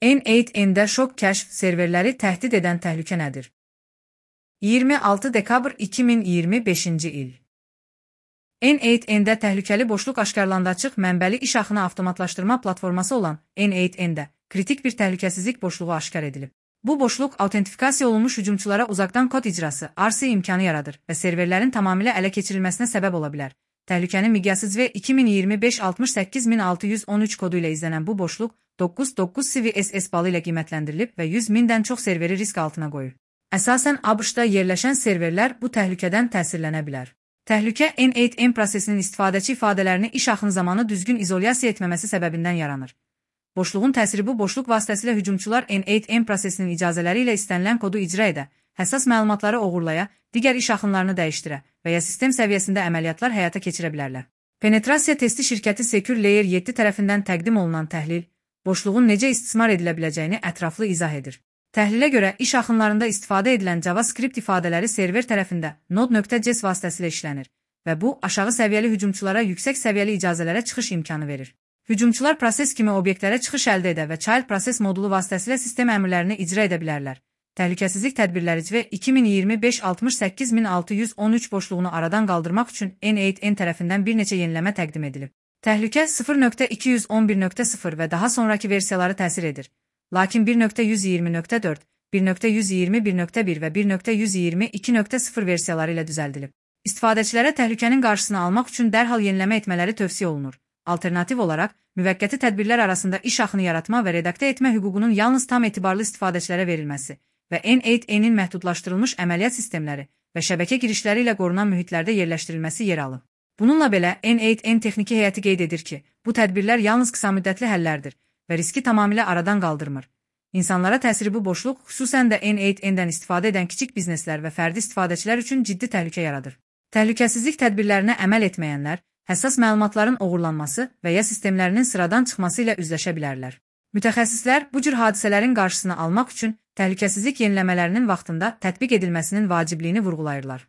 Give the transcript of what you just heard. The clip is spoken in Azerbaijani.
N8N'də şok kəşf serverləri təhdid edən təhlükə nədir? 26 dekabr 2025-ci il. N8N'də təhlükəli boşluq aşkarlandı. Açıq mənbəli iş axını avtomatlaşdırma platforması olan N8N'də kritik bir təhlükəsizlik boşluğu aşkar edilib. Bu boşluq autentifikasiya olunmuş hücumçulara uzaqdan kod icrası (RC) imkanı yaradır və serverlərin tamamilə ələ keçirilməsinə səbəb ola bilər. Təhlükənin miqyası V2025-68613 kodu ilə izlənən bu boşluq 9.9 CVSS balı ilə qiymətləndirilib və 100.000-dən çox serveri risk altına qoyur. Əsasən ABŞ-da yerləşən serverlər bu təhlükədən təsirlənə bilər. Təhlükə N8N prosesinin istifadəçi ifadələrini iş axını zamanı düzgün izolyasiya etməməsi səbəbindən yaranır. Boşluğun təsiri bu boşluq vasitəsilə hücumçular N8N prosesinin icazələri ilə istənilən kodu icra edə, həssas məlumatları oğurlaya, digər iş axınlarını dəyişdirə və ya sistem səviyyəsində əməliyyatlar həyata keçirə bilərlər. Penetrasiya testi şirkəti Secure Layer 7 tərəfindən təqdim olunan təhlil, boşluğun necə istismar edilə biləcəyini ətraflı izah edir. Təhlilə görə iş axınlarında istifadə edilən JavaScript ifadələri server tərəfində Node.js vasitəsilə işlənir və bu, aşağı səviyyəli hücumçulara yüksək səviyyəli icazələrə çıxış imkanı verir. Hücumçular proses kimi obyektlərə çıxış əldə edə və child proses modulu vasitəsilə sistem əmrlərini icra edə bilərlər. Təhlükəsizlik tədbirləri CV2025-68613 boşluğunu aradan qaldırmaq üçün N8N tərəfindən bir neçə yeniləmə təqdim edilib. Təhlükə 0.211.0 və daha sonraki versiyaları təsir edir. Lakin 1.120.4, 1.121.1 və 1.122.0 versiyaları ilə düzəldilib. İstifadəçilərə təhlükənin qarşısını almaq üçün dərhal yeniləmə etmələri tövsiyə olunur. Alternativ olaraq, müvəqqəti tədbirlər arasında iş axını yaratma və redaktə etmə hüququnun yalnız tam etibarlı istifadəçilərə verilməsi və N8N'in məhdudlaşdırılmış əməliyyat sistemləri və şəbəkə girişləri ilə qorunan mühitlərdə yerləşdirilməsi yer alır. Bununla belə, N8N texniki heyəti qeyd edir ki, bu tədbirlər yalnız qısa müddətli həllərdir və riski tamamilə aradan qaldırmır. İnsanlara təsiri bu boşluq, xüsusən də N8N'dən istifadə edən kiçik bizneslər və fərdi istifadəçilər üçün ciddi təhlükə yaradır. Təhlükəsizlik tədbirlərinə əməl etməyənlər, həssas məlumatların oğurlanması və ya sistemlərinin sıradan çıxması ilə üzləşə bilərlər. Mütəxəssislər bu cür hadisələrin qarşısını almaq üçün təhlükəsizlik yeniləmələrinin vaxtında tətbiq edilməsinin vacibliyini vurğulayırlar.